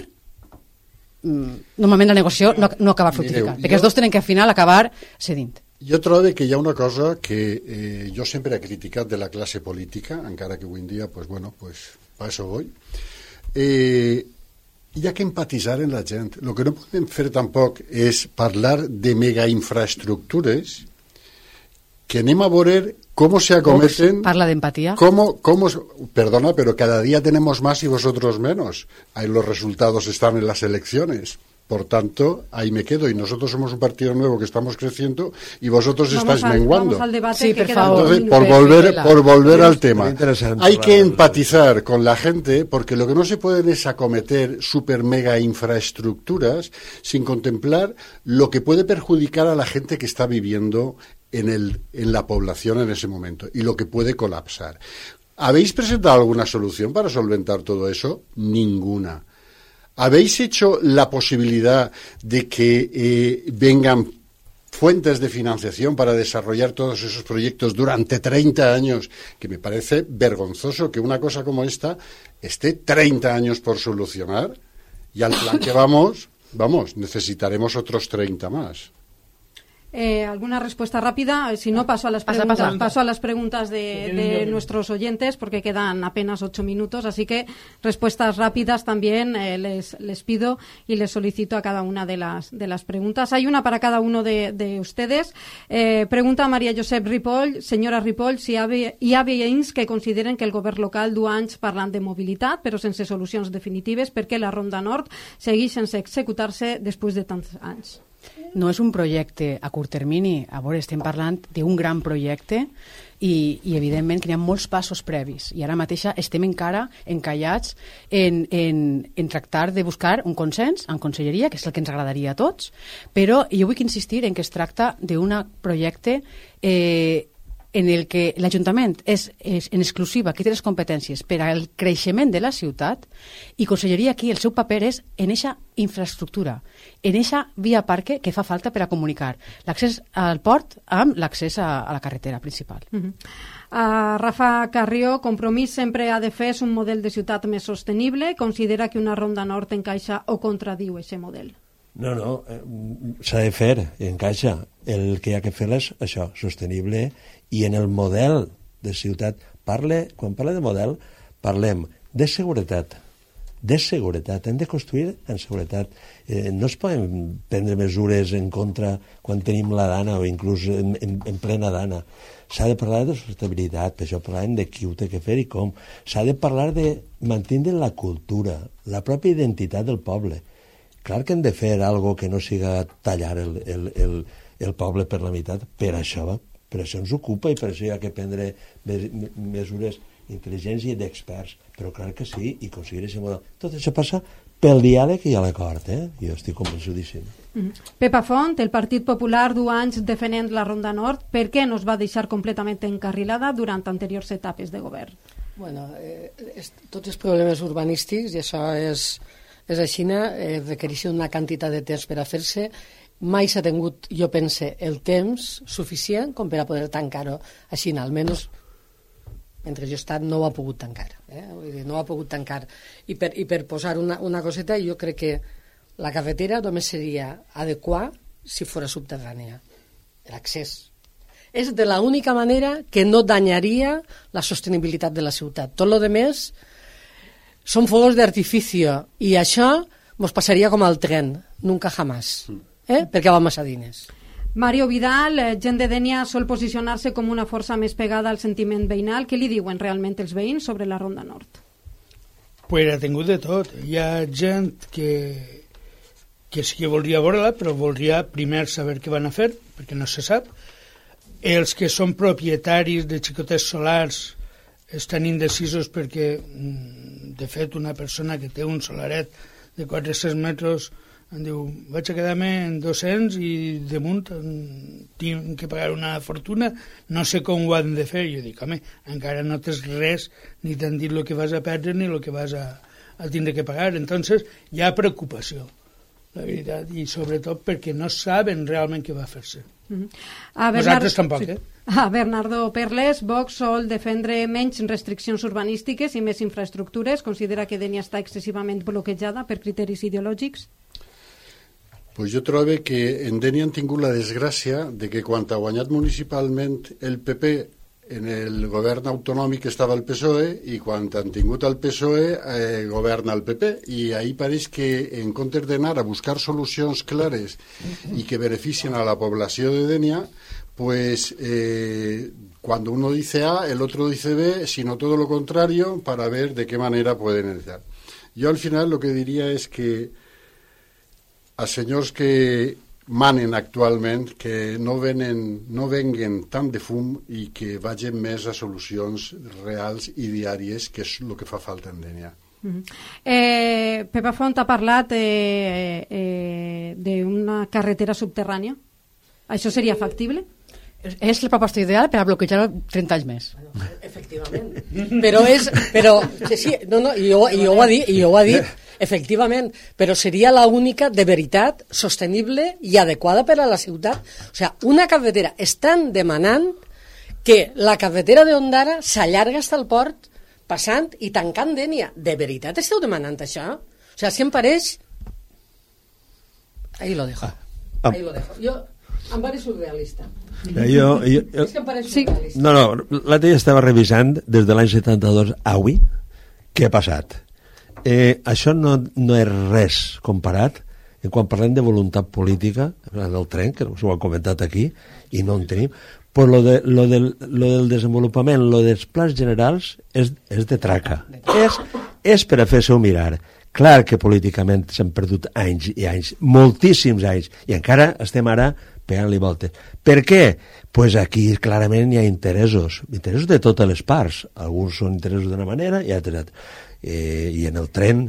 Speaker 4: normalment la negociació no, no acaba fructificant, perquè els dos tenen que al final acabar cedint.
Speaker 8: Jo trobo que hi ha una cosa que eh, jo sempre he criticat de la classe política, encara que avui en dia, pues bueno, pues pa eso voy. Eh, hi ha que empatitzar en la gent. Lo que no podem fer tampoc és parlar de megainfraestructures que anem a veure cómo se acometen...
Speaker 4: Parla de empatía.
Speaker 8: Cómo, cómo, perdona, pero cada día tenemos más y vosotros menos. Ahí los resultados están en las elecciones. Por tanto, ahí me quedo. Y nosotros somos un partido nuevo que estamos creciendo y vosotros vamos estáis al, menguando.
Speaker 3: Vamos al debate
Speaker 4: sí,
Speaker 3: que
Speaker 4: por favor.
Speaker 8: Entonces, por volver, por volver al tema, hay que empatizar con la gente porque lo que no se puede es acometer super mega infraestructuras sin contemplar lo que puede perjudicar a la gente que está viviendo en, el, en la población en ese momento y lo que puede colapsar. ¿Habéis presentado alguna solución para solventar todo eso? Ninguna. ¿Habéis hecho la posibilidad de que eh, vengan fuentes de financiación para desarrollar todos esos proyectos durante treinta años? Que me parece vergonzoso que una cosa como esta esté treinta años por solucionar y al plan que vamos, vamos, necesitaremos otros treinta más.
Speaker 3: Eh, ¿Alguna respuesta rápida? Si no, paso a las preguntas, pasa, pasa. Paso a las preguntas de, de nuestros oyentes porque quedan apenas ocho minutos, así que respuestas rápidas también eh, les, les pido y les solicito a cada una de las, de las preguntas. Hay una para cada uno de, de ustedes. Eh, pregunta María Josep Ripoll. Senyora Ripoll, si hi ha, hi ha veïns que consideren que el govern local du anys parlant de mobilitat però sense solucions definitives perquè la Ronda Nord segueix sense executar-se després de tants anys.
Speaker 4: No és un projecte a curt termini, a veure, estem parlant d'un gran projecte i, i evidentment que hi ha molts passos previs i ara mateix estem encara encallats en, en, en tractar de buscar un consens en Conselleria, que és el que ens agradaria a tots, però jo vull insistir en que es tracta d'un projecte eh, en el que l'Ajuntament és, és en exclusiva qui té les competències per al creixement de la ciutat i Conselleria aquí el seu paper és en eixa infraestructura, en eixa via parque que fa falta per a comunicar l'accés al port amb l'accés a, a la carretera principal.
Speaker 3: Uh-huh. Uh, Rafa Carrió, Compromís sempre ha de fer un model de ciutat més sostenible. Considera que una Ronda Nord encaixa o contradiu aquest model?
Speaker 5: No, no, s'ha de fer, encaixa. El que hi ha que fer és això, sostenible, i en el model de ciutat, parle, quan parle de model, parlem de seguretat, de seguretat, hem de construir en seguretat. Eh, no es poden prendre mesures en contra quan tenim la dana o inclús en, en, en plena dana. S'ha de parlar de sostenibilitat, per això parlem de qui ho té que fer i com. S'ha de parlar de mantenir la cultura, la pròpia identitat del poble. Clar que hem de fer algo que no siga tallar el, el, el, el poble per la meitat, per això, per això ens ocupa i per això hi ha que prendre mesures intel·ligents i d'experts, però clar que sí, i aconseguir aquest model. Tot això passa pel diàleg i a l'acord, eh? Jo estic convençudíssim.
Speaker 3: Mm-hmm. Pepa Font, el Partit Popular du anys defendent la Ronda Nord, per què no es va deixar completament encarrilada durant anteriors etapes de govern?
Speaker 6: Bueno, eh, és, tots els problemes urbanístics, i això és... és així, eh, requereix una quantitat de temps per a fer-se. Mai s'ha tingut, jo pense, el temps suficient com per a poder tancar-ho així, almenys mentre jo he estat no ho ha pogut tancar. Eh? Vull dir, no ho ha pogut tancar. I per, i per posar una, una coseta, jo crec que la carretera només seria adequar si fos subterrània, l'accés. És de l'única manera que no danyaria la sostenibilitat de la ciutat. Tot lo demés Són fuegos de artificio, i això mos passaria com al tren, nunca jamás, eh? perquè va massa diners.
Speaker 3: Mario Vidal, eh, gent de Dénia sol posicionar-se com una força més pegada al sentiment veïnal. Què li diuen realment els veïns sobre la Ronda Nord?
Speaker 7: Pues ha tingut de tot. Hi ha gent que, que sí que voldria veure-la, però voldria primer saber què van a fer, perquè no se sap. Els que són propietaris de xicotets solars estan indecisos perquè, de fet, una persona que té un solaret de quatre-cents metres em diu, vaig a quedar-me en dos-cents i damunt tinc que pagar una fortuna, no sé com ho han de fer. Jo dic, home, encara no tens res, ni t'han dit el que vas a perdre ni el que vas a, a tindre que pagar. Entonces hi ha preocupació, la veritat, i sobretot perquè no saben realment què va fer-se.
Speaker 3: Mm-hmm. a Bernard...
Speaker 7: Nosaltres tampoc,
Speaker 3: sí.
Speaker 7: eh?
Speaker 3: A Bernardo Perles, Vox sol defendre menys restriccions urbanístiques i més infraestructures. Considera que Dénia està excessivament bloquejada per criteris ideològics?
Speaker 8: Pues jo trobo que en Dénia han tingut la desgràcia de que quan ha guanyat municipalment el P P en el govern autonòmic estava el P S O E i quan han tingut el P S O E eh, governa el P P, i ahí pareix que en comptes d'anar a buscar solucions clares i que beneficien a la població de Dénia, pues eh, cuando uno dice A, el otro dice B, sino todo lo contrario, para ver de qué manera pueden entrar. Yo al final lo que diría es que a senyors que manen actualment que no venen, no venguen tant de fum i que vagin més a solucions reals i diàries, que és el que fa falta en Dénia.
Speaker 3: Mm-hmm. eh, Pepa Font ha parlat eh, eh, d'una carretera subterrània. Això seria factible?
Speaker 4: És la proposta ideal per a bloquejar trenta anys més.
Speaker 6: Efectivament. Però és... Però, sí, sí, no, no, i ho, i ho ha dit, i ho ha dit, efectivament, però seria la única de veritat sostenible i adequada per a la ciutat. O sigui, una carretera. Estan demanant que la carretera d'Ondara s'allarga fins al port passant i tancant Dénia. De veritat esteu demanant això? O sigui, si em pareix... Ahí lo dejo. Ahí lo dejo. Jo... Em pareix surrealista.
Speaker 5: Jo, jo, jo,
Speaker 6: és que em pareix surrealista.
Speaker 5: No, no, l'altre dia estava revisant des de l'any setanta-dos a avui què ha passat. Eh, això no, no és res comparat en quan parlem de voluntat política en el tren, que s'ho ha comentat aquí i no en tenim, però lo, de, lo, del, lo del desenvolupament, lo dels plans generals és, és de traca, és, és per a fer-se-ho mirar. Clar que políticament s'han perdut anys i anys, moltíssims anys, i encara estem ara pegant-li voltes. Per què? Pues aquí clarament hi ha interessos, interessos de totes les parts. Alguns són interessos d'una manera i altres. Eh, I en el tren,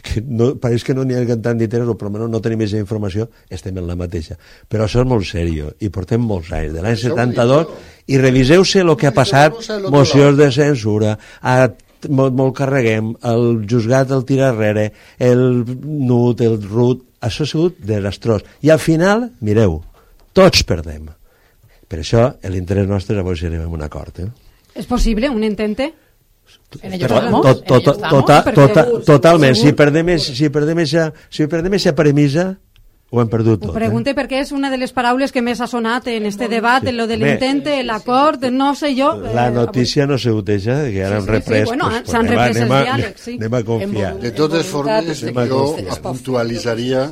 Speaker 5: que no, pareix que no n'hi ha tant d'interessos, però almenys no tenim aquesta informació, estem en la mateixa. Però això és molt seriós, i portem molts anys, de l'any setanta-dos, i reviseu-se el que ha passat, mocions de censura, a molt, molt carreguem, el juzgat el tira arrere, el nut, el rut, això ha sigut desastrós. I al final, mireu, tots perdem. Per això, l'interès nostre és avui si arribem a un acord. Eh?
Speaker 3: És possible, un intente?
Speaker 4: En ello estamos,
Speaker 5: tot, tot,
Speaker 4: en ello
Speaker 5: tota,
Speaker 4: estamos.
Speaker 5: tota, totalment, si perdem, si perdem esa, si perdem esa premissa, ho hem perdut tot.
Speaker 3: Ho pregunte eh? perquè és una de les paraules que més ha sonat en este debat, sí. En lo de l'intente, l'acord, no sé jo...
Speaker 5: La notícia no se uteja, que ara hem reprès...
Speaker 3: Sí, sí, bueno,
Speaker 5: pues,
Speaker 3: s'han reprès els diàlegs, sí.
Speaker 5: Anem a confiar.
Speaker 8: De totes formes, jo puntualitzaria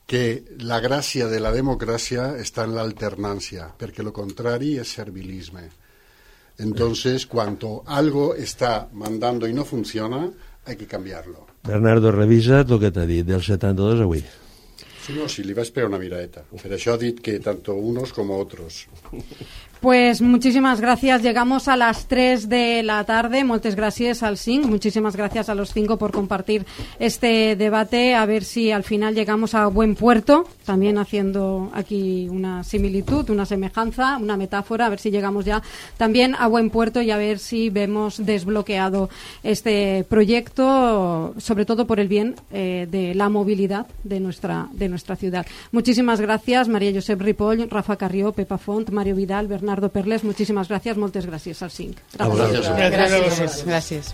Speaker 8: que la gràcia de la democràcia està en l'alternància, perquè lo contrari és servilisme. Entonces, cuando algo está mandando y no funciona, hay que cambiarlo.
Speaker 5: Bernardo, revisa el que t'ha dit, del setanta-dos a avui.
Speaker 8: Sí, no, si li vaig pegar una miradeta. Per això ha dit que tanto unos como otros.
Speaker 3: Pues muchísimas gracias. Llegamos a las tres de la tarde. Muchas gracias al C I N C. Muchísimas gracias a los cinco por compartir este debate. A ver si al final llegamos a buen puerto. También haciendo aquí una similitud, una semejanza, una metáfora. A ver si llegamos ya también a buen puerto y a ver si vemos desbloqueado este proyecto, sobre todo por el bien eh, de la movilidad de nuestra, de nuestra ciudad. Muchísimas gracias, María Josep Ripoll, Rafa Carrió, Pepa Font, Mario Vidal, Bernardo Perles, muchísimas gracias, moltes gràcies al C I N C.
Speaker 5: Gràcies.
Speaker 4: Gràcies. Gràcies.